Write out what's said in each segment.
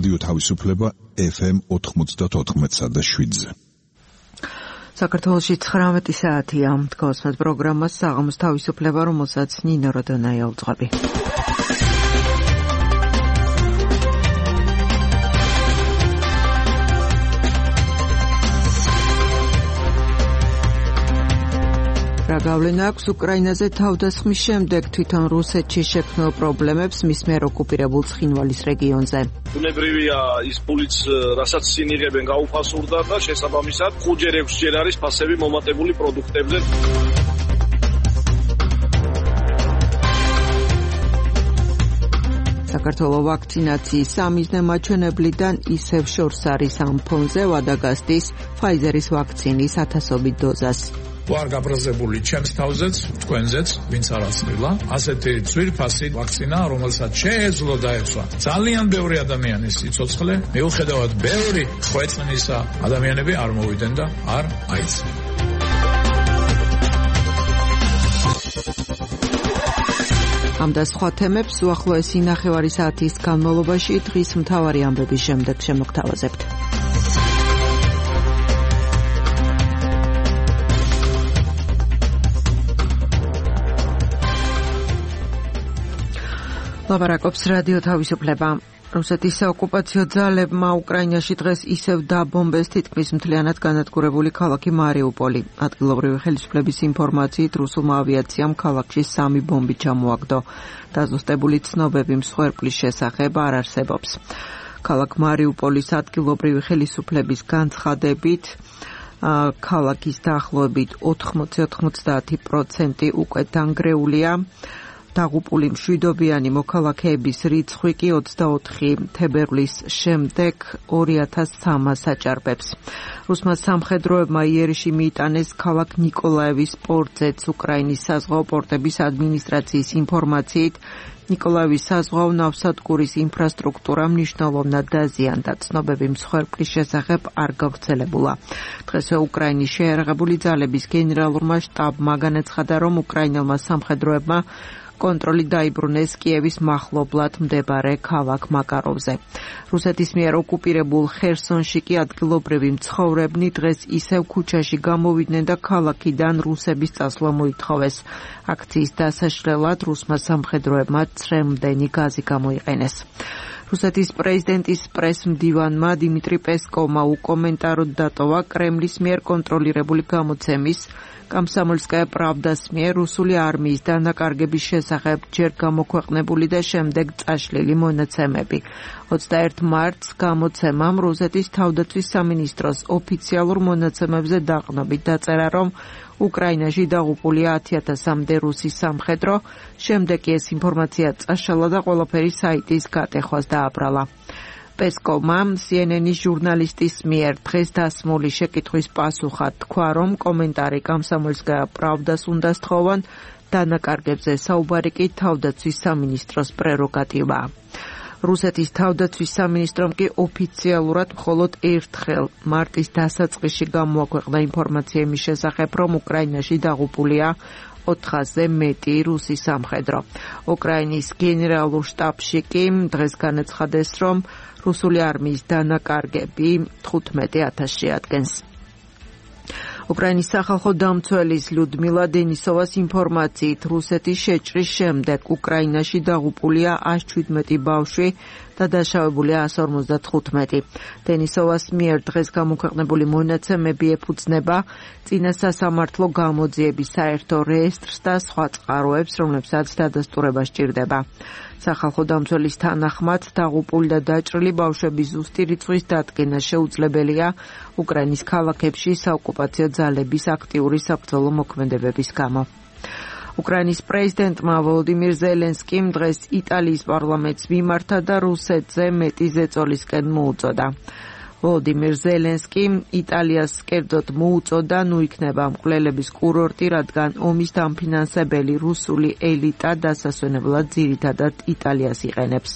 რადიო თავისუფლება FM 94.7-ზე. საქართველოში 19 საათია. თქვენს პროგრამას საღამოს თავისუფლება, რომელსაც ნინო როდონაია უძღვები. რა გავლენა აქვს უკრაინაზე თავდასხმის შემდეგ თვითონ რუსეთში შექმნილ პრობლემებს მის მიერ ოკუპირებულ ცხინვალის რეგიონზე. ბუნებრივია ის პულიც, რასაც წინ იღებენ, გაუფასურდა და შესაბამისად 5-6 არის ფასები მომატებული პროდუქტებზე. საქართველოს ვაქცინაციის სამიზნე მაჩვენებლიდან ისევ შორს არის ამ ფონზე ვადაგასტის Pfizer-ის ვაქცინის 1000-ობით დოზას. ვარ გაბრაზებული ჩემს თავზეც, თქვენზეც, ვინც არ აცნილა. ასეთი ძვირფასი ვაქცინა, რომელსაც შეეძლო დაეცვა ძალიან ბევრი ადამიანის სიცოცხლე, მიუხედავად ბევრი ხვეწნისა, ადამიანები არ მოვიდნენ და არ აიცნენ. ამ და სხვა თემებს უახლოესი ნახევარი საათის განმავლობაში დღის მთავარი ამბების შემდეგ შემოგთავაზებთ. ლაპარაკობს რადიო თავისუფლება. რუსეთის საოკუპაციო ძალებმა უკრაინაში დღეს ისევ დაბომბეს თითქმის მთლიანად განადგურებული ქალაქი მარიუპოლი. ადგილობრივი ხელისუფლების ინფორმაციით რუსულმა ავიაციამ ქალაქში 3 ბომბი ჩამოაგდო. დაზუსტებული ცნობები მსხვერპლის შესახებ არ არსებობს. ქალაქ მარიუპოლის ადგილობრივი ხელისუფლების განცხადებით ქალაქის დაახლოებით 80-90% უკვე დანგრეულია. დაღუპული მშვიდობიანი მოქალაქეების რიცხვი კი 24 თებერვლის შემდეგ 2300-ს აჭარბებს. რუსმა სამხედროებმა იერიში მიიტანეს ქალაქ ნიკოლაევის პორტზეც. უკრაინის საზღვაო პორტების ადმინისტრაციის ინფორმაციით ნიკოლაევის საზღვაო ნავსადგურის ინფრასტრუქტურა მნიშვნელოვნად დაზიანდა. ცნობები მსხვერპლის შესახებ არ გავრცელებულა. დღესვე უკრაინის შეიარაღებული ძალების გენერალურმა შტაბმა განაცხადა, რომ უკრაინელმა სამხედროებმა კონტროლი დაიბრუნეს კიევის მახლობლად მდებარე ქალაქ მაკაროვზე. რუსეთის მიერ ოკუპირებულ ხერსონში კი ადგილობრივი მცხოვრებნი დღეს ისევ ქუჩაში გამოვიდნენ და ქალაქიდან რუსების წასვლა მოითხოვეს. აქციის დასაშლელად რუსმა სამხედროებმა წრემლდენი გაზი გამოიყენეს. რუსეთის პრეზიდენტის პრესმდივანმა დიმიტრი პესკოვმა უკომენტაროდ დატოვა კრემლის მიერ კონტროლირებული გამოცემის Komsomolskaya Pravdas მიერ რუსული არმიის დანაკარგების შესახებ ჯერ გამოქვეყნებული და შემდეგ წაშლილი მონაცემები. 21 მარტს გამოცემამ რუსეთის თავდაცვის სამინისტროს ოფიციალურ მონაცემებზე დაყნობით დაწერა, რომ უკრაინაში დაღუპულია 10,000-მდე რუსის სამხედრო, შემდეგ კი ეს ინფორმაცია წაშალა და ყველაფერი საიტის გატეხვას დააბრალა. პესკოვმა CNN-ის ჟურნალისტის მიერ დღეს დასმული შეკითხვის პასუხად თქვა, რომ კომენტარი Komsomolskaya Pravdas უნდა სთხოვან, დანაკარგებზე საუბარი კი თავდაცვის სამინისტროს პრეროგატივაა. რუსეთის თავდაცვის სამინისტრომ კი ოფიციალურად მხოლოდ ერთხელ მარტის დასაწყისში გამოაქვეყნა ინფორმაცია იმის შესახებ, რომ უკრაინაში დაღუპულია 400-ზე მეტი რუსი სამხედრო. უკრაინის გენერალურ შტაბში კი დღეს განაცხადეს, რომ რუსული არმიის დანაკარგები 15,000 შეადგენს. უკრაინის სახალხო დამცველის ლიუდმილა დენისოვას ინფორმაციით რუსეთის შეჭრის შემდეგ უკრაინაში დაღუპულია 117 ბავშვი და დაშავებულია 155. დენისოვას მიერ დღეს გამოქვეყნებული მონაცემები ეფუძნება წინა სასამართლო გამოძიების საერთო რეესტრს და სხვა წყაროებს, რომლებსაც დადასტურება სჭირდება. სახალხო დამცველის თანახმად დაღუპული და დაჭრილი ბავშვების ზუსტი რიცხვის დადგენა შეუძლებელია უკრაინის ქალაქებში საოკუპაციო ძალების აქტიური საბრძოლო მოქმედებების გამო. უკრაინის პრეზიდენტმა ვოლოდიმირ ზელენსკიმ დღეს იტალიის პარლამენტს მიმართა და რუსეთზე მეტი ზეწოლისკენ მოუწოდა. ვოლოდიმირ ზელენსკიმ იტალიას კერძოდ მოუწოდა ნუიქნება მკვლელების კურორტი, რადგან ომის დამფინანსებელი რუსული ელიტა დასასვენებლად ძირითადად იტალიას იყენებს.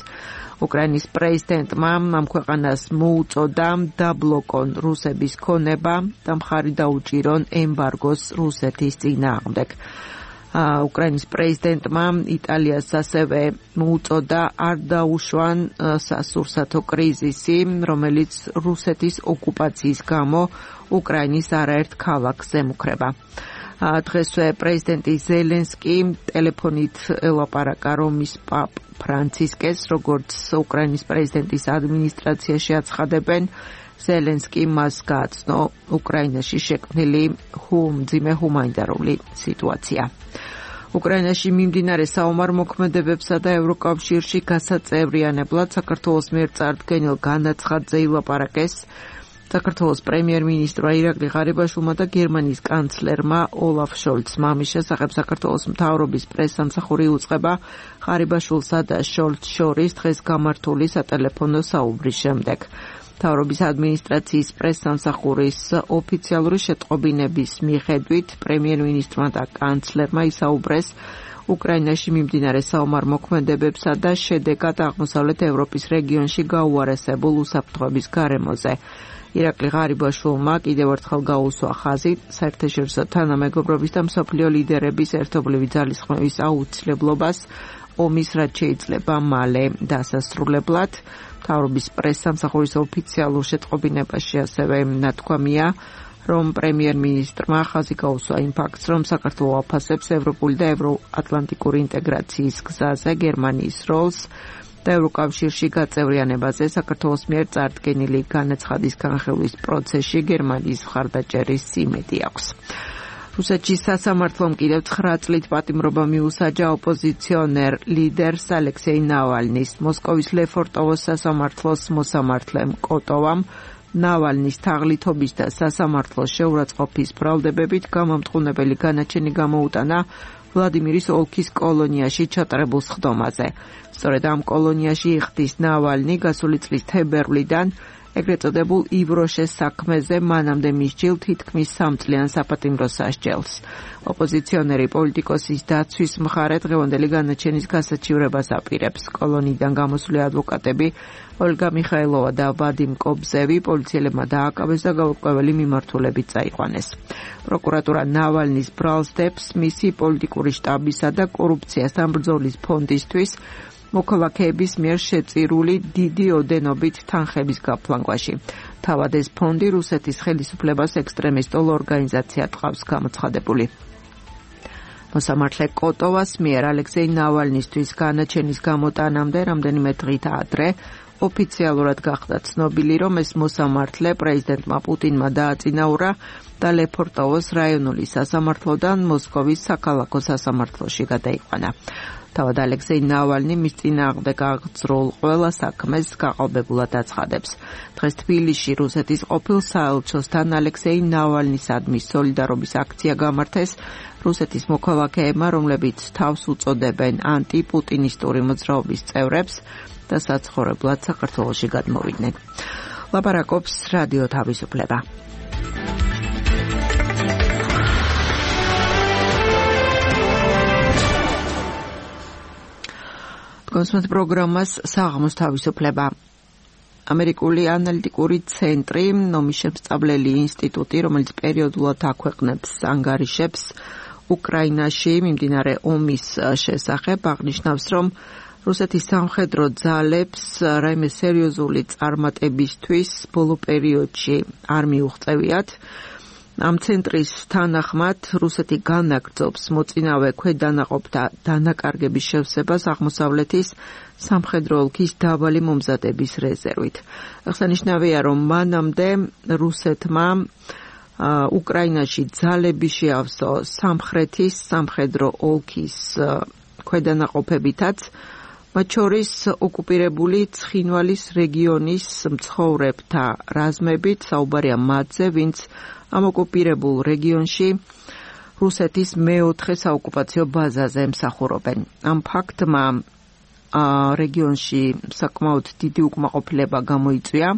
უკრაინის პრეზიდენტმა ამ ქვეყანას მოუწოდა დაბლოკონ რუსების ქონება და მხარი დაუჭირონ ემბარგოს რუსეთის წინააღმდეგ. უკრაინის პრეზიდენტმა იტალიას ასევე მოუწოდა არ დაუშვან სასურსათო კრიზისი, რომელიც რუსეთის ოკუპაციის გამო უკრაინის არაერთ ქალაქს ემუქრება. დღესვე პრეზიდენტი ზელენსკი ტელეფონით ელაპარაკა რომის პაპ ფრანცისკეს, როგორც უკრაინის პრეზიდენტის ადმინისტრაციაში აცხადებენ, ზელენსკი მას გააცნო უკრაინაში შექმნილი მძიმე ჰუმანიტარული სიტუაცია. უკრაინაში მიმდინარე საომარ-მოქმედებებსა და ევროკავშირში გასაწევრიანებლად საქართველოს მიერ წარდგენილ განაცხადზე ილაპარაკეს საქართველოს პრემიერ-მინისტრმა ირაკლი ღარიბაშვილმა და გერმანიის კანცლერმა ოლაფ შოლცმა. ამის შესახებ საქართველოს მთავრობის პრესსამსახური უწყება ღარიბაშვილსა და შოლცს შორის დღეს გამართული სატელეფონო საუბრის შემდეგ. მთავრობის ადმინისტრაციის პრესსამსახურის ოფიციალური შეტყობინების მიხედვით პრემიერ-მინისტრმა და კანცლერმა ისაუბრეს უკრაინაში მიმდინარე საომარ მოქმედებებსა და შედეგად აღმოსავლეთ ევროპის რეგიონში გაუარესებულ უსაფრთხოების გარემოზე. ირაკლი ღარიბაშვილმა კიდევ ერთხელ გაუსვა ხაზი საერთაშორისო თანამეგობრობის და მსოფლიო ლიდერების ერთობლივი ძალისხმევის აუცილებლობას ომის რაც შეიძლება მალე დასასრულებლად. მთავრობის პრესსამსახურის ოფიციალურ შეტყობინებაში ასევე ნათქვამია, რომ პრემიერ-მინისტრმა ხაზი გაუსვა იმ ფაქტს, რომ საქართველო აფასებს ევროპული და ევროატლანტიკური ინტეგრაციის გზაზე გერმანიის როლს და ევროკავშირში გაწევრიანებაზე საქართველოს მიერ წარდგენილი განაცხადის განხილვის პროცესში გერმანიის მხარდაჭერის იმედი აქვს. რუსეთში სასამართლომ კიდევ 9 წლით პატიმრობა მიუსაჯა ოპოზიციონერ ლიდერს ალექსეი ნავალნის. მოსკოვის ლეფორტოვოს სასამართლოს მოსამართლემ კოტოვამ ნავალნის თაღლითობის და სასამართლოს შეურაცხყოფის ბრალდებებით გამამტყუნებელი განაჩენი გამოუტანა ვლადიმირის ოლქის კოლონიაში ჩატარებულ სხდომაზე. სწორედ ამ კოლონიაში იხდის ნავალნი გასული წლის თებერვლიდან ეგრეთ წოდებულ ივროშეს საქმეზე მანამდე მისჯილ თითქმის 3 წლიან საპატიმრო სასჯელს. ოპოზიციონერი პოლიტიკოსის დაცვის მხარე დღევანდელი განაჩენის გასაჩივრებას აპირებს. კოლონიიდან გამოსული ადვოკატები ოლგა მიხაილოვა და ვადიმ კობზევი პოლიციელებმა დააკავეს და გაურკვეველი მიმართულებით წაიყვანეს. პროკურატურა ნავალნის ბრალს დებს მისი პოლიტიკური შტაბისა და კორუფციასთან ბრძოლის ფონდისთვის მოქალაქეების მიერ შეწირული დიდი ოდენობით თანხების გაფლანგვაში. თავად ეს ფონდი რუსეთის ხელისუფლებას ექსტრემისტულ ორგანიზაციად ყავს გამოცხადებული. მოსამართლე კოტოვას მიერ ალექსეი ნავალნისთვის განაჩენის გამოტანამდე რამდენიმე დღით ადრე ოფიციალურად გახდა ცნობილი, რომ ეს მოსამართლე პრეზიდენტმა პუტინმა დააწინაურა და ლეფორტოვოს რაიონული სასამართლოდან მოსკოვის საქალაქო სასამართლოში გადაიყვანა. თავად ალექსეი ნავალნი მის წინააღმდეგ აღძრულ ყველა საქმეს გაყალბებულად აცხადებს. დღეს თბილისში რუსეთის ყოფილ საელჩოსთან ალექსეი ნავალნისადმი სოლიდარობის აქცია გამართეს რუსეთის მოქალაქეებმა, რომლებიც თავს უწოდებენ ანტიპუტინისტური მოძრაობის წევრებს და საცხოვრებლად საქართველოში გადმოვიდნენ. ლაპარაკობს რადიო თავისუფლება. კონსუმენტ პროგრამას საღამოს თავისუფლება. ამერიკული ანალიტიკური ცენტრი, ნომის შემსწავლელი ინსტიტუტი, რომელიც პერიოდულად აქვეყნებს ანგარიშებს უკრაინაში მიმდინარე ომის შესახებ, აღნიშნავს, რომ რუსეთის სამხედრო ძალებს რაიმე სერიოზული წარმატებისთვის ბოლო პერიოდში არ მიუღწევიათ. ამ ცენტრის თანახმად რუსეთი განაგრძობს მოწინავე ქვედანაყოფთა დანაკარგების შევსებას აღმოსავლეთის სამხედრო ოლქის დაბალი მომზადების რეზერვით. აღსანიშნავია, რომ მანამდე რუსეთმა უკრაინაში ძალები შეავსო სამხრეთის სამხედრო ოლქის ქვედანაყოფებითაც, მათ შორის ოკუპირებული ცხინვალის რეგიონის მცხოვრებთა რაზმებით, საუბარია მათზე, ვინც ამ ოკუპირებულ რეგიონში რუსეთის მეოთხე საოკუპაციო ბაზაზე ემსახურობენ. ამ ფაქტმა რეგიონში საკმაოდ დიდი უკმაყოფილება გამოიწვია.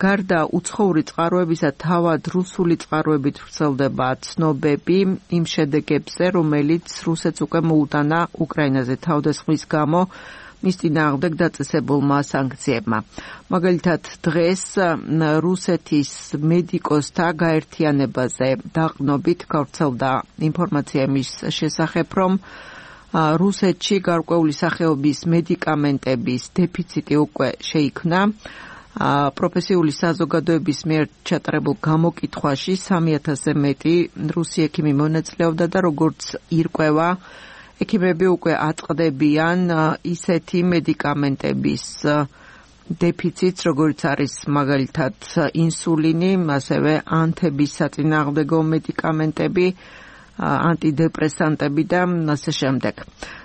გარდა უცხოური წყაროებისა, თავად რუსული წყაროებით ვრცელდება ცნობები იმ შედეგებზე, რომელიც რუსეთს უკვე მოუტანა უკრაინაზე თავდასხმის გამო მის წინააღმდეგ დაწესებულმა სანქციებმა. მაგალითად, დღეს რუსეთის მედიკოსთა გაერთიანებაზე დაყრდნობით გავრცელდა ინფორმაცია მის შესახებ, რომ რუსეთში გარკვეული სახეობის მედიკამენტების დეფიციტი უკვე შეიქმნა. პროფესიული საზოგადოების მიერ ჩატარებულ გამოკითხვაში 3000-ზე მეტი რუსი ექიმი მონაწილეობდა და როგორც ირკვევა, ექიმები უკვე აწყდებიან ისეთი მედიკამენტების დეფიციტს, როგორც არის მაგალითად ინსულინი, ასევე ანთების საწინააღმდეგო მედიკამენტები, ანტიდეპრესანტები და ასე შემდეგ.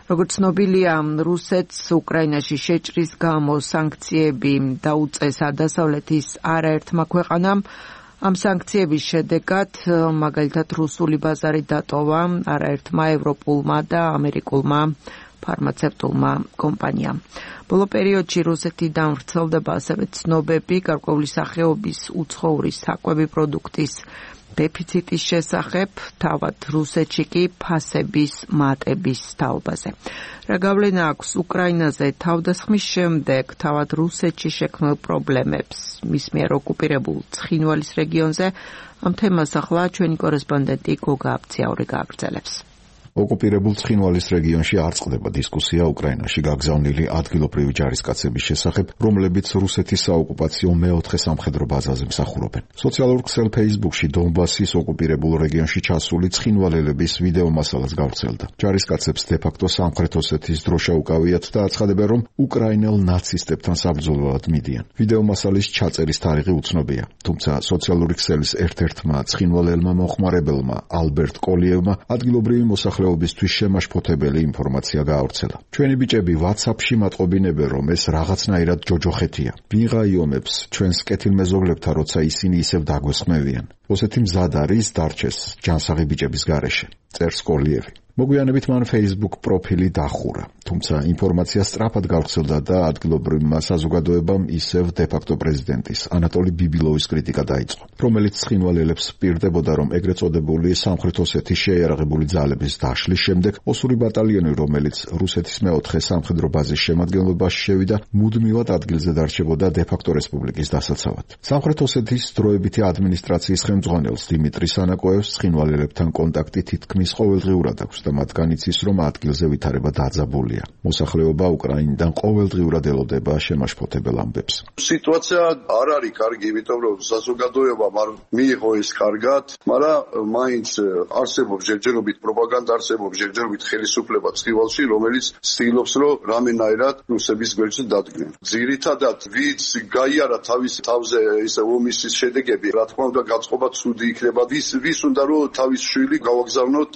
როგორც ცნობილია, რუსეთს უკრაინაში შეჭრის გამო სანქციები დაუწესა დასავლეთის არაერთმა ქვეყანამ. ამ სანქციების შედეგად, მაგალითად, რუსული ბაზარი დატოვა არაერთმა ევროპულმა და ამერიკულმა ფარმაცევტულმა კომპანიამ. ბოლო პერიოდში რუსეთიდან ვრცელდება ასევე ცნობები გარკვეული სახეობის უცხოური საკვები პროდუქტის დეფიციტის შესახებ, თავად რუსეთში კი ფასების მატების თაობაზე. რა გავლენა აქვს უკრაინაზე თავდასხმის შემდეგ თავად რუსეთში შექმნილ პრობლემებს მის მიერ ოკუპირებულ ცხინვალის რეგიონზე? ამ თემას ახლა ჩვენი კორესპონდენტი გოგა აბციაური გააგრძელებს. ოკუპირებულ ცხინვალის რეგიონში არ წყდება დისკუსია უკრაინაში გაგზავნილი ადგილობრივი ჯარისკაცების შესახებ, რომლებიც რუსეთის საოკუპაციო მეოთხე სამხედრო ბაზაზე მსახურობენ. სოციალურ ქსელ Facebook-ში დონბასის ოკუპირებულ რეგიონში ჩასული ცხინვალელების ვიდეო მასალას გავრცელდა. ჯარისკაცებს დე-ფაქტო სამხრეთ ოსეთის დროშა უკავიათ და აცხადებენ, რომ უკრაინელ ნაცისტებთან საბრძოლველად მიდიან. ვიდეო მასალის ჩაწერის თარიღი უცნობია, თუმცა სოციალური ქსელის ერთ-ერთმა ცხინვალელმა მოხმარებელმა ალბერტ კოლიევმა ადგილობრივი მოსახლეობისთვის შემაშფოთებელი ინფორმაცია გაავრცელა. ჩვენი ბიჭები WhatsApp-ში მატყობინებენ, რომ ეს რაღაცნაირად ჯოჯოხეთია. ვინ გაიომებს ჩვენს კეთილმეზობლებთან, როცა ისინი ისევ დაგვესხმევიან. ოსეთი მზად არის დარჩეს ჯანსაღი ბიჭების გარეშე, წერს კოლიევი. მოგვიანებით მან Facebook პროფილი დახურა, თუმცა ინფორმაცია სწრაფად გავრცელდა და ადგილობრივმა საზოგადოებამ ისევ დე-ფაქტო პრეზიდენტის ანატოლი ბიბილოვის კრიტიკა დაიწყო, რომელიც ცხინვალელებს პირდებოდა, რომ ეგრეთ წოდებული სამხრეთ ოსეთის შეიარაღებული ძალების დაშლის შემდეგ ოსური ბატალიონი, რომელიც რუსეთის მეოთხე სამხედრო ბაზის შემადგენლობაში შევიდა, მუდმივად ადგილზე დარჩებოდა დე-ფაქტო რესპუბლიკის დასაცავად. სამხრეთ ოსეთის დროებითი ადმინისტრაციის ხელმძღვანელს დიმიტრი სანაკოევს ცხინვალელებთან კონტაქტი თითქმის ყოველდღიურად აქვს და მათგან იცის, რომ ადგილზე ვითარება დაძაბულია. მოსახლეობა უკრაინიდან ყოველდღიურად ელოდება შემაშფოთებელ ამბებს. სიტუაცია არ არის კარგი, იმიტომ რომ საზოგადოებამ არ მიიღო ეს კარგად, მაგრამ მაინც არსებობს ჯერჯერობით პროპაგანდა, არსებობს ჯერჯერობით ხელისუფლება ცხინვალში, რომელიც ცდილობს, რომ რამენაირად რუსების გვერდზე დადგნენ. ძირითადად ვინც გაიარა თავის თავზე ისე ომის შედეგები, რა თქმა უნდა გაწყობა ცუდი იქნება. ვის უნდა რომ თავის შვილი გავაგზავნოთ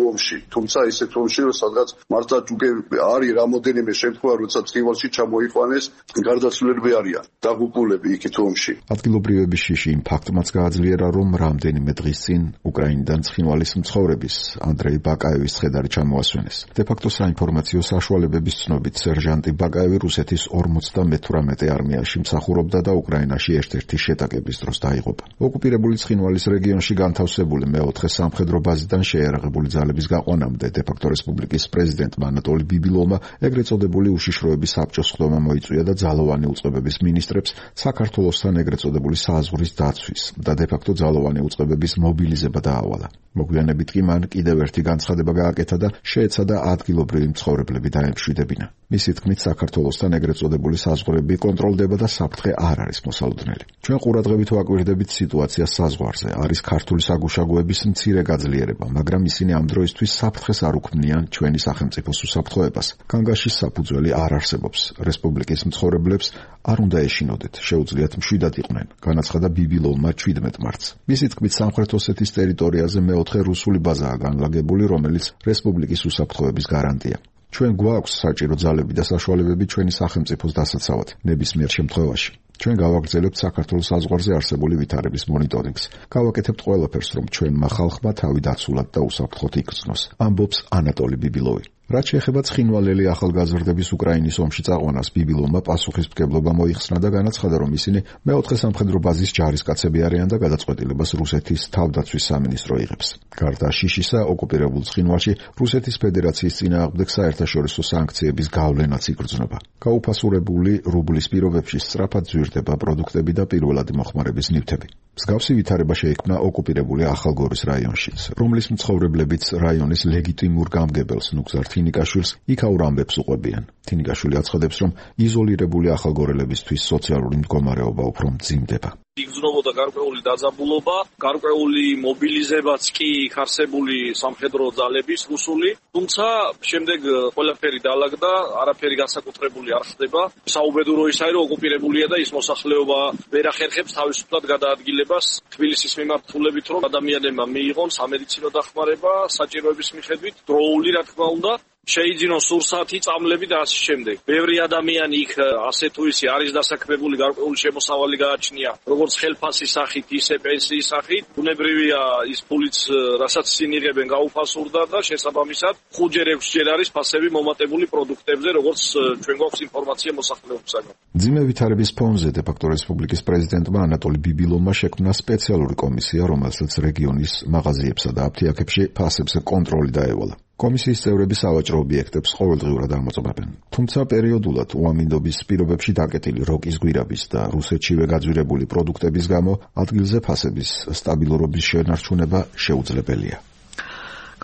ომში. თუმცა ისეთ ომში, რომ სადღაც მართლაც უკვე არის რამოდენიმე შემთხვევა, როცა ცხინვალში ჩამოიყვანეს გარდაცვლილები არიან, დაღუპულები იქით ომში. ადგილობრივების შიში იმ ფაქტმაც გააძლიერა, რომ რამდენიმე დღის წინ უკრაინიდან ცხინვალის მცხოვრების ანდრეი ბაკაევის ცხედარი ჩამოასვენეს. დე-ფაქტო საინფორმაციო საშუალებების ცნობით, სერჟანტი ბაკაევი რუსეთის 58 არმიაში მსახურობდა და უკრაინაში ერთ-ერთი შეტაკების დროს დაიღუპა. ოკუპირებული ცხინვალის რეგიონში განთავსებული მეოთხე სამხედრო ბაზიდან შეიარაღებული ძალების გაყვანამდე დე-ფაქტო რესპუბლიკის პრეზიდენტმა ანატოლი ბიბილოვმა ეგრეთ წოდებული უშიშროების საბჭოს ხდომა მოიწვია და ძალოვანი უწყებების მინისტრებს საქართველოსთან ეგრეთ წოდებული საზღვრის დაცვის და დე-ფაქტო ძალოვანი უწყებების მობილიზება დაავალა. მოგვიანებით კი მან კიდევ ერთი განცხადება გააკეთა და შეეცადა ადგილობრივი მცხოვრებლები დაემშვიდებინა. მისი თქმით, საქართველოსთან ეგრეთ წოდებული საზღვრები კონტროლდება და საფრთხე არ არის მოსალოდნელი. ჩვენ ყურადღებით ვაკვირდებით სიტუაციას საზღვარზე. არის ქართული საგუშაგოების მცირე გაძლიერება, მაგრამ ისინი ამ დროისთვის საფრთხეს არ უქმნიან ჩვენი სახელმწიფოს უსაფრთხოებას. განგაშის საფუძველი არ არსებობს. რესპუბლიკის მცხოვრებლებს არ უნდა ეშინოდეთ, შეუძლიათ მშვიდად იყვნენ, განაცხადა ბიბილოვმა 17 მარტს. მისი თქმით, სამხრეთ ოსეთის ტერიტორიაზე მეოთხე რუსული ბაზაა განლაგებული, რომელიც რესპუბლიკის უსაფრთხოების გარანტია. ჩვენ გვაქვს საჭირო ძალები და საშუალებები ჩვენი სახელმწიფოს დასაცავად ნებისმიერ შემთხვევაში. ჩვენ გავაგრძელებთ საქართველოს საზღვარზე არსებული ვითარების მონიტორინგს. გავაკეთებთ ყველაფერს, რომ ჩვენმა ხალხმა თავი დაცულად და უსაფრთხოდ იქცნოს, ამბობს ანატოლი ბიბილოვი. რაც შეეხება ცხინვალელი ახალგაზრდების უკრაინის ომში წაყვანას, ბიბილონმა პასუხისმგებლობა მოიხსნა და განაცხადა, რომ ისინი მეოთხე სამხედრო ბაზის ჯარისკაცები არიან და გადაწყვეტილებას რუსეთის თავდაცვის სამინისტრო იღებს. გარდა შიშისა, ოკუპირებულ ცხინვალში რუსეთის ფედერაციის წინააღმდეგ საერთაშორისო სანქციების გავლენაც იგრძნობა. გაუფასურებული რუბლის პირობებში სწრაფად ზვირდება პროდუქტები და პირველადი მოხმარების ნივთები. მსგავსი ვითარება შეიქმნა ოკუპირებული ახალგორის რაიონშიც, რომლის მცხოვრებლებიც რაიონის ლეგიტიმურ გამგებელს ნუგზარ თინიკაშვილს იქაურ ამბებს უყვებიან. თინიკაშვილი აცხადებს, რომ იზოლირებული ახალგორელებისთვის სოციალური მდგომარეობა უფრო მძიმდება. იგრძნობოდა გარკვეული დაძაბულობა, გარკვეული მობილიზებაც კი იქ არსებული სამხედრო ძალების რუსული, თუმცა შემდეგ ყველაფერი დაალაგდა, არაფერი განსაკუთრებული არ ხდება. საუბედურო ისაა, რომ ოკუპირებულია და ის მოსახლეობა ვერ ახერხებს თავისუფლად გადაადგილებას თბილისის მიმართულებით, რომ ადამიანებმა მიიღონ სამედიცინო დახმარება საჭიროების მიხედვით, დროული რა თქმა უნდა. შეიძინოს სურსათი, წამლები და ასე შემდეგ. ბევრი ადამიანი იქ ასე თუ ისე არის დასაქმებული, გარკვეული შემოსავალი გააჩნია, როგორც ხელფასის სახით, ისე პენსიის სახით. ბუნებრივია ის ფულიც, რასაც ისინი იღებენ, გაუფასურდა და შესაბამისად 5-6 არის ფასები მომატებული პროდუქტებზე, როგორც ჩვენ გვაქვს ინფორმაცია მოსახლეობისაგან. მძიმე ვითარების ფონზე დე-ფაქტო რესპუბლიკის პრეზიდენტმა ანატოლი ბიბილონმა შექმნა სპეციალური კომისია, რომელსაც რეგიონის მაღაზიებსა და აფთიაქებში ფასებზე კონტროლი დაევალა. კომისიის წევრები სავაჭრო ობიექტებს ყოველდღიურად ამოწმებენ. თუმცა პერიოდულად უამინდობის პირობებში დაკეტილი როკის გვირაბის და რუსეთშივე გაძვირებული პროდუქტების გამო ადგილზე ფასების სტაბილურობის შენარჩუნება შეუძლებელია.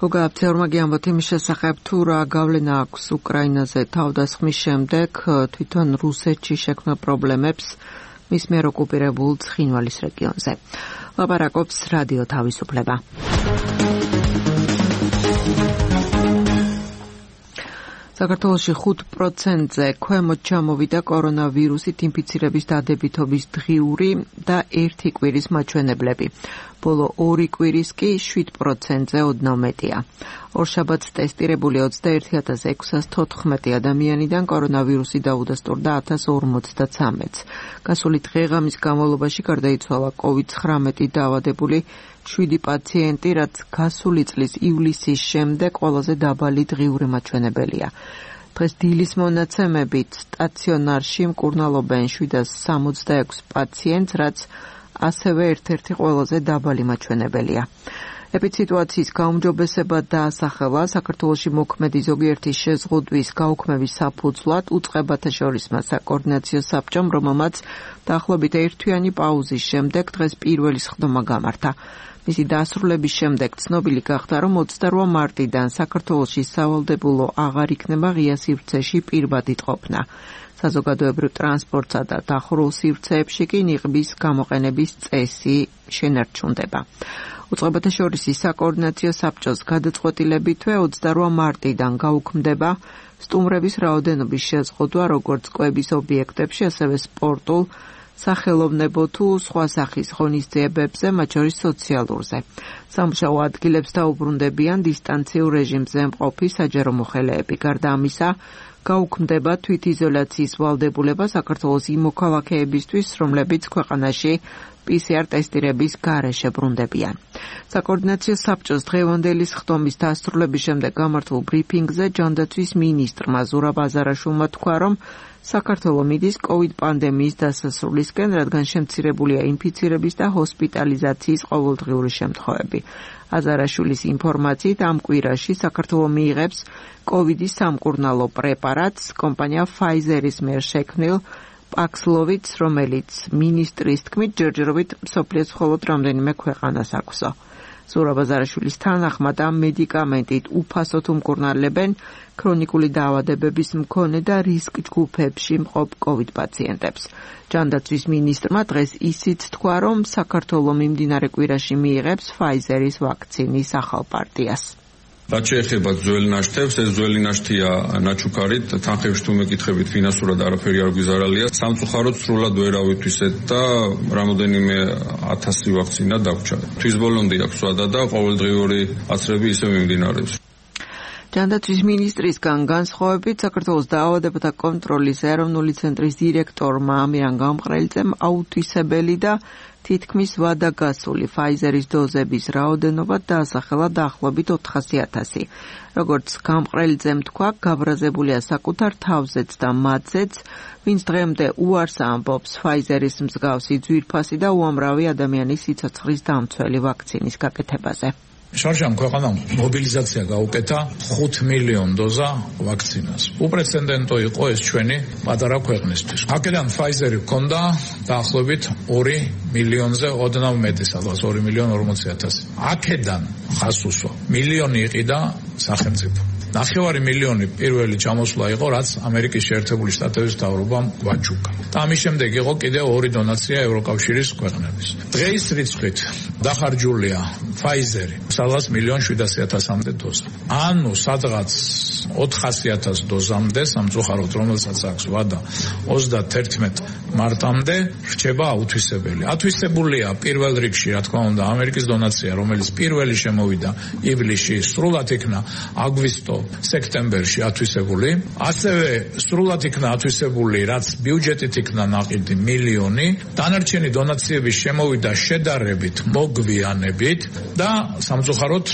გოგა აფცეურმა გიამბოთ იმის შესახებ, თუ რა გავლენა აქვს უკრაინაზე თავდასხმის შემდეგ თვითონ რუსეთში შექმნა პრობლემებს მის მიერ ოკუპირებულ ცხინვალის რეგიონზე. ლაპარაკობს რადიო თავისუფლება. საქართველოში 5%-ზე ქვემოთ ჩამოვიდა კორონავირუსით ინფიცირების დადებითობის დღიური და 1 კვირის მაჩვენებლები. ბოლო 2 კვირის კი 7%-ზე ოდნავ მეტია. ორშაბათს ტესტირებული 21,614 ადამიანიდან კორონავირუსი დაუდასტურდა 1053-ს. გასული დღე-ღამის განმავლობაში გარდაიცვალა COVID-19 დაავადებული 7 პაციენტი, რაც გასული წლის ივლისის შემდეგ ყველაზე დაბალი დღიური მაჩვენებელია. დღეს დილის მონაცემებით სტაციონარში მკურნალობენ 766 პაციენტს, რაც ასევე ერთ-ერთი ყველაზე დაბალი მაჩვენებელია. ეპიდსიტუაციის გაუმჯობესება დაასახელა საქართველოში მოქმედი ზოგიერთი შეზღუდვის გაუქმების საფუძვლად უწყებათა შორისმა საკოორდინაციო საბჭომ, რომელმაც დაახლოებით ერთთვიანი პაუზის შემდეგ დღეს პირველი სხდომა გამართა. მისი დასრულების შემდეგ ცნობილი გახდა, რომ 28 მარტიდან საქართველოში სავალდებულო აღარ იქნება ღია სივრცეში პირბადი ყოფნა. საზოგადოებრივ ტრანსპორტსა და დახურულ სივრცეებში კი ნიღბის გამოყენების წესი შენარჩუნდება. უწყებათა შორისი საკოორდინაციო საბჭოს გადაწყვეტილებითვე 28 მარტიდან გაუქმდება სტუმრების რაოდენობის შეზღუდვა როგორც კვების ობიექტებში, ასევე სპორტულ, სახელოვნებო თუ სხვა სახის ღონისძიებებზე, მათ შორის სოციალურზე. სამუშაო ადგილებს დაუბრუნდებიან დისტანციურ რეჟიმზე მყოფი საჯარო მოხელეები. გარდა ამისა, გაუქმდება თვითიზოლაციის ვალდებულება საქართველოს იმ მოქალაქეებისთვის, რომლებიც ქვეყანაში PCR ტესტირების გარეშე ბრუნდებიან. საკოორდინაციო საბჭოს დღევანდელი სხდომის დასრულების შემდეგ გამართულ ბრიფინგზე ჯანდაცვის მინისტრმა ზურაბ აზარაშვილმა თქვა, რომ საქართველო მიდის COVID პანდემიის დასასრულისკენ, რადგან შემცირებულია ინფიცირების და ჰოსპიტალიზაციის ყოველდღიური შემთხვევები. აზარაშვილის ინფორმაციით ამ კვირაში საქართველო მიიღებს COVID-ის სამკურნალო პრეპარატს კომპანია Pfizer-ის მიერ შექმნილ Paxlovid, რომელიც მინისტრის თქმით ჯერჯერობით მსოფლიოს მხოლოდ რამდენიმე ქვეყანას აქვსო. ზურაბ აზარაშვილის თანახმად ამ მედიკამენტით უფასოდ უმკურნალებენ ქრონიკული დაავადებების მქონე და რისკ ჯგუფებში მყოფ COVID პაციენტებს. ჯანდაცვის მინისტრმა დღეს ისიც თქვა, რომ საქართველო მიმდინარე კვირაში მიიღებს Pfizer-ის ვაქცინის ახალ პარტიას. რაც შეეხება ძველი ნაშთებს, ეს ძველი ნაშთია ნაჩუქარით, თანხებში თუ მეკითხებით ფინანსურად არაფერი არ გვიზარალია. სამწუხაროდ სრულად ვერ ავითვისეთ და რამოდენიმე 1000 ვაქცინა დაგვრჩა. თვის ბოლომდე აქვს ვადა და ყოველდღიური აცრები ისე მიმდინარეობს. ჯანდაცვის მინისტრისგან განსხვავებით, საქართველოს დაავადებათა კონტროლის ეროვნული ცენტრის დირექტორმა ამირან გამყრელიძემ აუთვისებელი და თითქმის ვადაგასული Pfizer-ის დოზების რაოდენობა დაასახელა დაახლოებით 400,000. როგორც გამყრელიძემ თქვა, გაბრაზებულია საკუთარ თავზეც და მათზეც, ვინც დღემდე უარს ამბობს Pfizer-ის მსგავსი ძვირფასი და უამრავი ადამიანის სიცოცხლის დამცველი ვაქცინის გაკეთებაზე. შარშამ ქვეყანამ მობილიზაცია გაუკეთა 5 მილიონ დოზა ვაქცინას. უპრეცედენტო იყო ეს ჩვენი პატარა ქვეყნისთვის. აქედან Pfizer-ი ჰქონდა დაახლოებით 2 მილიონზე ოდნავ მეტი, სადღაც 2,40,000. აქედან ხასუსო მილიონი იყიდა სახელმწიფო. 9 მილიონი პირველი ჩამოსვლა იყო, რაც ამერიკის შეერთებული შტატების მთავრობამ გვაჩუკა. და ამის შემდეგ იყო კიდევ 2 დონაცია ევროკავშირის ქვეყნების. დღეის რიცხვით დახარჯულია Pfizer-ი სადღაც 1,700,000-მდე დოზა. ანუ სადღაც 400,000 დოზამდე სამწუხაროდ, რომელსაც აქვს ვადა 31 მარტამდე რჩება აუთვისებელი. ათვისებულია პირველ რიგში, რა თქმა უნდა, ამერიკის დონაცია, რომელიც პირველი შემოვიდა ივლისში, სრულად იქნა აგვისტო სექტემბერში ათვისებული. ასევე სრულად იქნა ათვისებული, რაც ბიუჯეტით იქნა ნაყიდი მილიონი. დანარჩენი დონაციების შემოვიდა შედარებით მოგვიანებით და სამწუხაროდ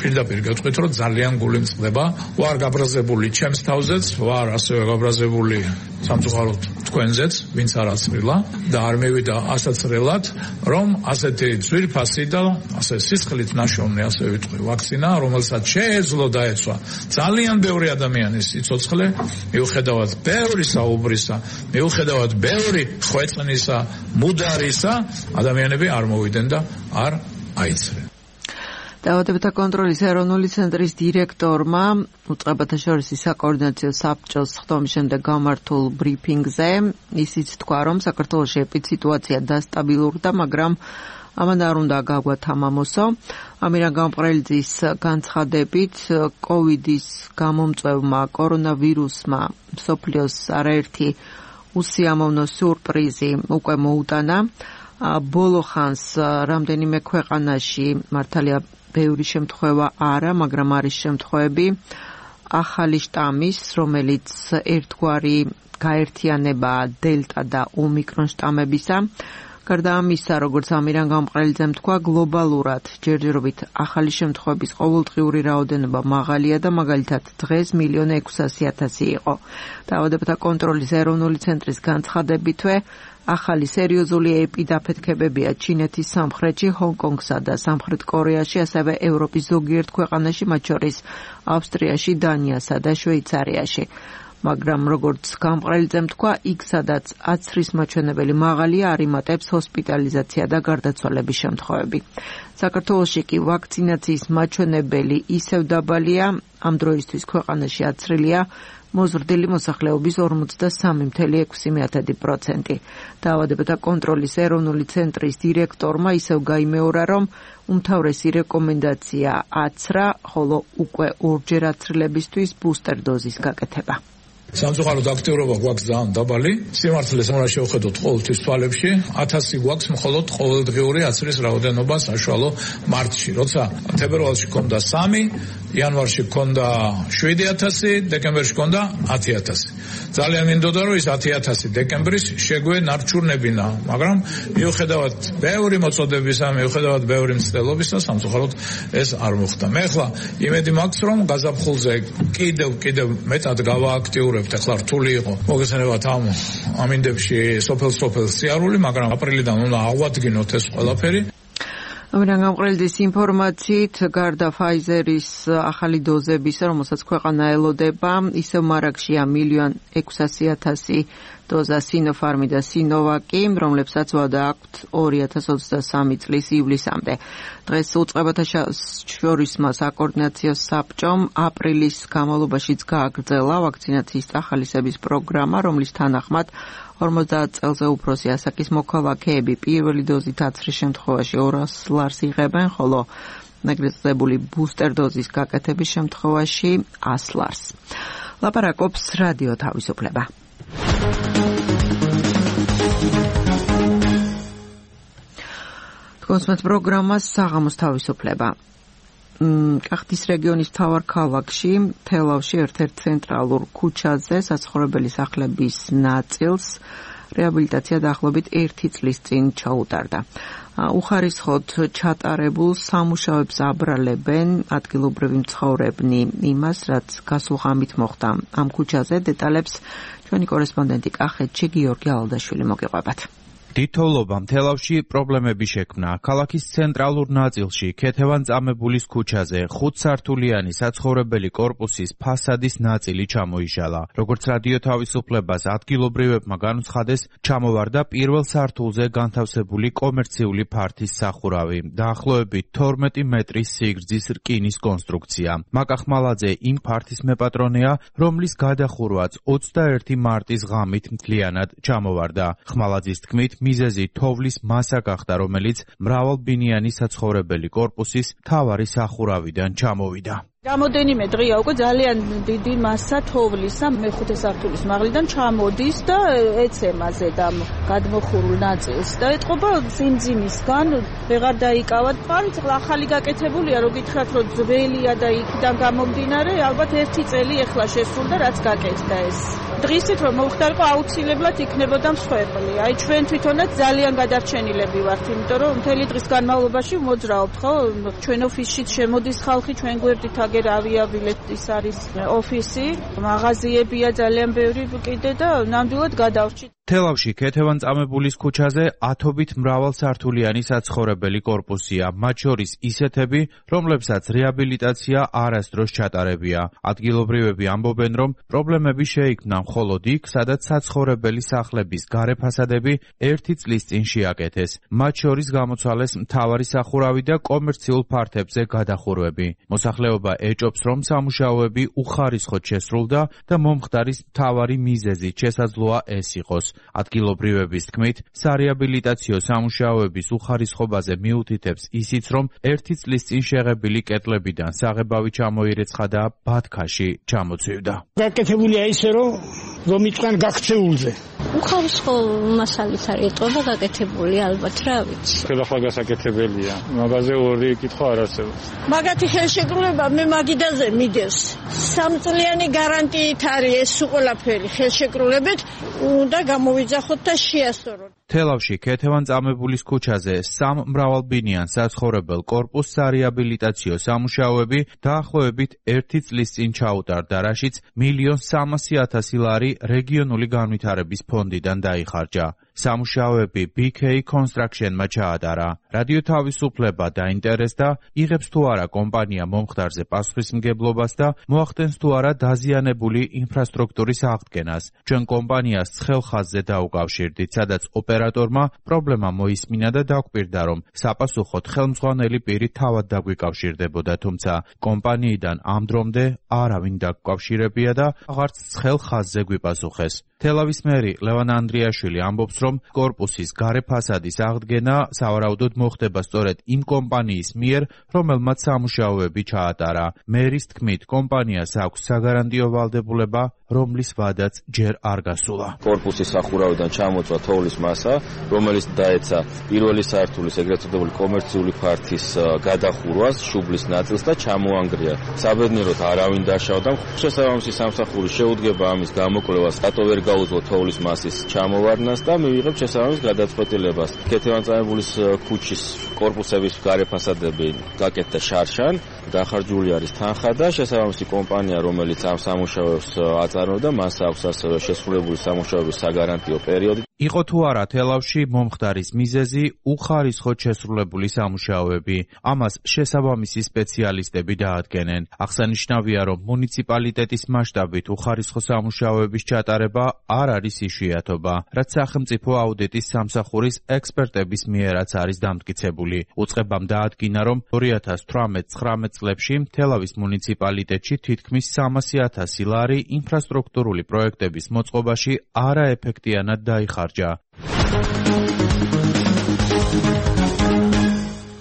პირდაპირ გეტყვით, რომ ძალიან გული მწყდება. ვარ გაბრაზებული ჩემს თავზეც, ვარ ასევე გაბრაზებული სამწუხაროდ თქვენზეც, ვინც არ აცრილა და არ მივიდა ასაცრელად, რომ ასეთი ძვირფასი და ასე სისხლით ნაშოვნი, ასე ვიტყვი, ვაქცინა, რომელსაც შეეძლო დაეცვა ძალიან ბევრი ადამიანის სიცოცხლე, მიუხედავად ბევრი საუბრისა, მიუხედავად ბევრი ხვეწნისა, მუდარისა, ადამიანები არ მოვიდნენ და არ აიცრენ. დაავადებათა კონტროლის ეროვნული ცენტრის დირექტორმა უწყებათა შორის საკოორდინაციო საბჭოს ხდომის შემდეგ გამართულ ბრიფინგზე ისიც თქვა, რომ საქართველოში ეპიდსიტუაცია დასტაბილურდა, მაგრამ ამან არ უნდა გაგვათამამოსო. ამირან გამყრელიძის განცხადებით, კოვიდის გამომწვევმა კორონავირუსმა მსოფლიოს არაერთი უსიამოვნო სიურპრიზი უკვე მოუტანა. ბოლო ხანს რამდენიმე ქვეყანაში მართალია ბევრი შემთხვევა არა, მაგრამ არის შემთხვევები ახალი შტამის, რომელიც ერთგვარი გაერთიანებაა დელტა და ომიკრონ შტამებისა. გარდა ამისა, როგორც ამირან გამყრელიძემ თქვა, გლობალურად ჯერჯერობით ახალი შემთხვევების ყოველდღიური რაოდენობა მაღალია და მაგალითად დღეს 1,600,000 იყო. დაავადებათა კონტროლის ეროვნული ცენტრის განცხადებითვე ახალი სერიოზული ეპიდაფეთქებებია ჩინეთის სამხრეთში, ჰონკონგსა და სამხრეთ კორეაში, ასევე ევროპის ზოგიერთ ქვეყანაში, მათ შორის ავსტრიაში, დანიასა და შვეიცარიაში. მაგრამ როგორც გამყრელიძემ თქვა, იქ სადაც აცრის მაჩვენებელი მაღალია, არ იმატებს ჰოსპიტალიზაცია და გარდაცვალების შემთხვევები. საქართველოში კი ვაქცინაციის მაჩვენებელი ისევ დაბალია, ამ დროისთვის ქვეყანაში აცრილია მოზრდილი მოსახლეობის 43,6%. დაავადებათა კონტროლის ეროვნული ცენტრის დირექტორმა ისევ გაიმეორა, რომ უმთავრესი რეკომენდაცია აცრა, ხოლო უკვე ორჯერ აცრილებისთვის ბუსტერ დოზის გაკეთება. სამწუხაროდ აქტიურობა გვაქვს ძალიან დაბალი. სიმართლეს უნდა შევხედოთ ყოველთვის თვალებში. 1000 გვაქვს მხოლოდ ყოველდღიური აცრის რაოდენობა საშუალო მარტში. როცა თებერვალში ჰქონდა 3, იანვარში ჰქონდა 7,000, დეკემბერში ჰქონდა 10,000. ძალიან მინდოდა, რომ ის 10,000 დეკემბრის შეგვენარჩუნებინა, მაგრამ მიუხედავად ბევრი მოწოდებისა, მიუხედავად ბევრი მცდელობისა, სამწუხაროდ ეს არ მოხდა. მე ახლა იმედი მაქვს, რომ გაზაფხულზე კიდევ მეტად გავააქტიურებ. ახლა რთული იყო მოგესალმებათ ამ ამინდებში სოფელ სიარული, მაგრამ აპრილიდან უნდა აღვადგინოთ ეს ყველაფერი. ამირან გამყრელიძის ინფორმაციით, გარდა Pfizer-ის ახალი დოზებისა, რომელსაც ქვეყანა ელოდება, ისევ მარაგშია 1,600,000 დოზა Sinopharm და Sinovac, რომლებსაც ვადა აქვთ 2023 წლის ივლისამდე. დღეს უწყებათა შორისმა საკოორდინაციო საბჭომ აპრილის განმავლობაშიც გააგრძელა ვაქცინაციის წახალისების პროგრამა, რომლის თანახმად 50 წელზე უფროსი ასაკის მოქალაქეები პირველი დოზით აცრის შემთხვევაში 200 ლარს იღებენ, ხოლო მეგრეწებული ბუსტერ დოზის გაკეთების შემთხვევაში 100 ლარს. ლაპარაკობს რადიო თავისუფლება. თქვენს პროგრამას საღამოს თავისუფლება. კახეთის რეგიონის მთავარ ქალაქში, თელავში ერთ-ერთ ცენტრალურ ქუჩაზე საცხოვრებელი სახლების ნაწილს რეაბილიტაცია დაახლოებით 1 წლის წინ ჩაუტარდა. უხარისხოდ ჩატარებულ სამუშაოებს აბრალებენ ადგილობრივი მცხოვრებნი იმას, რაც გასულ ღამით მოხდა ამ ქუჩაზე. დეტალებს ჩვენი კორესპონდენტი კახეთში გიორგი ალადაშვილი მოგიყვებათ. თითოეულობამ თელავში პრობლემები შექმნა. ქალაქის ცენტრალურ ნაწილში, ქეთევან-წამებულის ქუჩაზე 5 სართულიანი საცხოვრებელი კორპუსის ფასადის ნაწილი ჩამოიშალა. როგორც რადიო თავისუფლებას ადგილობრივებმა განუცხადეს, ჩამოვარდა პირველ სართულზე განთავსებული კომერციული ფართის სახურავი, დაახლოებით 12 მეტრის სიგრძის რკინის კონსტრუქცია. მაკა ხმალაძე იმ ფართის მეპატრონეა, რომლის გადახურვაც 21 მარტის ღამით მთლიანად ჩამოვარდა. ხმალაძის თქმით, მიზეზი თოვლის მასა გახდა, რომელიც მრავალბინიანი საცხოვრებელი კორპუსის მთავარი სახურავიდან ჩამოვიდა. Რამოდენიმე დღეა უკვე ძალიან დიდი მასა თოვლისა მეხუთე სართულის მაღლიდან ჩამოდის და ეცემა ზედამ გადმოხურულ ნაწილს და ეტყობა სიმძიმისგან ვეღარ დაიკავათ. წყლა ახალი გაკეთებულია, რო გითხრათ, რომ ძველია და იქიდან გამომდინარე, ალბათ 1 წელი ეხლა შესრულდა, რაც გაკეთდა ეს. დღისით რომ მოხდარიყო აუცილებლად იქნებოდა მსხვერპლი. აი ჩვენ თვითონაც ძალიან გადარჩენილები ვართ, იმიტომ რომ მთელი დღის განმავლობაში მოძრაობთ, ხო? ჩვენ ოფისშიც შემოდის ხალხი, ჩვენ გვერდით აგერ ავიაბილეტის არის ოფისი, მაღაზიებია ძალიან ბევრი კიდე და ნამდვილად გადავრჩით. თელავში ქეთევან-წამებულის ქუჩაზე ათობით მრავალსართულიანი საცხოვრებელი კორპუსია, მათ შორის ისეთები, რომლებსაც რეაბილიტაცია არასდროს ჩატარებია. ადგილობრივები ამბობენ, რომ პრობლემები შეიქმნა მხოლოდ იქ, სადაც საცხოვრებელი სახლების გარე ფასადები 1 წლის წინ შეაკეთეს. მათ შორის გამოცვალეს მთავარი სახურავი და კომერციულ ფართებზე გადახურვები. მოსახლეობა ეჭობს, რომ სამუშაოები უხარისხოდ შესრულდა და მომხდარის მთავარი მიზეზი შესაძლოა ეს იყოს. ადგილობრივების თქმით, სარეაბილიტაციო სამუშაოების უხარისხობაზე მიუთითებს ისიც, რომ 1 წლის წინ შეღებილი კედლებიდან საღებავი ჩამოირეცხა და ბათქაში ჩამოცივდა. გაკეთებულია ისე, რომ იწყან გაქცეულზე. უხარისხო მასალით არის ეტყობა გაკეთებული, ალბათ, რა ვიცი. ხელახლა გასაკეთებელია. მაგაზე ორი კითხვა არ არსებობს. მაგათი ხელშეკრულება მე მაგიდაზე მიგეს. 3 წლიანი გარანტიით არის ეს ყველაფერი ხელშეკრულებით, უნდა გამოვიძახოთ და შეასწოროთ. თელავში ქეთევან-წამებულის ქუჩაზე 3 მრავალბინიან საცხოვრებელ კორპუსს სარეაბილიტაციო სამუშაოები დაახლოებით 1 წლის წინ ჩაუტარდა, რაშიც 1.300.000 ლარი რეგიონული განვითარების ფონდიდან დაიხარჯა. სამუშაოები BK Construction-მა ჩაატარა. რადიო თავისუფლება დაინტერესდა, იღებს თუ არა კომპანია მომხდარზე პასუხისმგებლობას და მოახდენს თუ არა დაზიანებული ინფრასტრუქტურის აღდგენას. ჩვენ კომპანიას ცხელ ხაზზე დაუკავშირდით, სადაც ოპერატორმა პრობლემა მოისმინა და დაგვირდა, რომ საპასუხოდ ხელმძღვანელი პირი თავად დაგვიკავშირდებოდა, თუმცა კომპანიიდან ამ დრომდე არავინ დაგკავშირებია და აღარც ცხელ ხაზზე გვიპასუხეს. თელავის მერი ლევან ანდრიაშვილი ამბობს, რომ კორპუსის გარე ფასადის აღდგენა სავარაუდოდ მოხდება სწორედ იმ კომპანიის მიერ, რომელმაც სამუშაოები ჩაატარა. მერის თქმით, კომპანიას აქვს საგარანტიო ვალდებულება, რომლის ვადაც ჯერ არ გასულა. კორპუსის სახურავიდან ჩამოწვა თოვლის მასა, რომელიც დაეცა პირველი სართულის ეგრეთ წოდებული კომერციული ფართის გადახურვას, შუბლის ნაწილს და ჩამოანგრია. საბედნიეროდ არავინ დაშავდა. შესაბამისი სამსახური შეუდგება ამის გამოკვლევას, რატო ვერ გაუძლო თოვლის მასის ჩამოვარდნას და მივიღებ შესაბამის გადაწყვეტილებას. ქეთევან-წამებულის ქუჩის კორპუსების გარე ფასადები გაკეთდა შარშან, დახარჯული არის თანხა და შესაბამისი კომპანია, რომელიც ამ სამუშაოებს აწარმოებდა, მას აქვს ასევე შესრულებული სამუშაოების საგარანტიო პერიოდი. იყო თუ არა თელავში მომხდარის მიზეზი უხარისხოდ შესრულებული სამუშაოები. ამას შესაბამისი სპეციალისტები დაადგენენ. აღსანიშნავია, რომ მუნიციპალიტეტის მასშტაბით უხარისხო სამუშაოების ჩატარება არ არის იშვიათობა, რაც სახელმწიფო აუდიტის სამსახურის ექსპერტების მიერაც არის დამტკიცებული. უწყებამ დაადგინა, რომ 2018-19 წლებში თელავის მუნიციპალიტეტში თითქმის 300.000 ლარი ინფრასტრუქტურული პროექტების მოწყობაში არაეფექტიანად დაიხარჯა.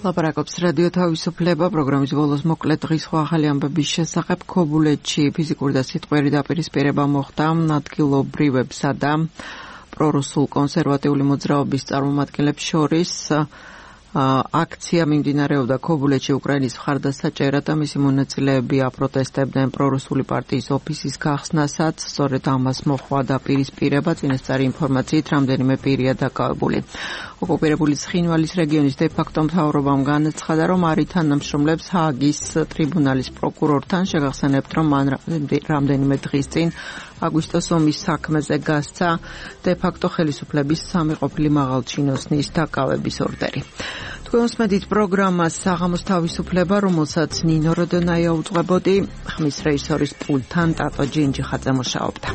ლაპარაკობს რადიო თავისუფლება. პროგრამის ბოლოს მოკლედ დღის ახალი ამბების შესახებ. ქობულეთში ფიზიკური და სიტყვიერი დაპირისპირება მოხდა ადგილობრივებსა და პრორუსულ კონსერვატიული მოძრაობის წარმომადგენლებს შორის. აქცია მიმდინარეობდა ქობულეთში უკრაინის მხარდასაჭერად და მისი მონაწილეები აპროტესტებდნენ პრორუსული პარტიის ოფისის გახსნასაც. სწორედ ამას მოჰყვა დაპირისპირება. წინასწარი ინფორმაციით რამდენიმე პირია დაკავებული. ოკუპირებული ცხინვალის რეგიონის დე-ფაქტო მთავრობამ განაცხადა, რომ არი თანამშრომლებს ჰააგის ტრიბუნალის პროკურორთან. შეგახსენებთ, რომ მან რამდენიმე დღის წინ აგვისტოს ომის საქმეზე გასცა დე-ფაქტო ხელისუფლების სამი ყოფილი მაღალჩინოსნის დაკავების ორდერი. თქვენ უსმენთ პროგრამას საღამოს თავისუფლება, რომელსაც ნინო როდონაია უძღვებოდი, ხმის რეჟისორის პულტთან ტატო ჯინჯიხაძე მუშაობდა.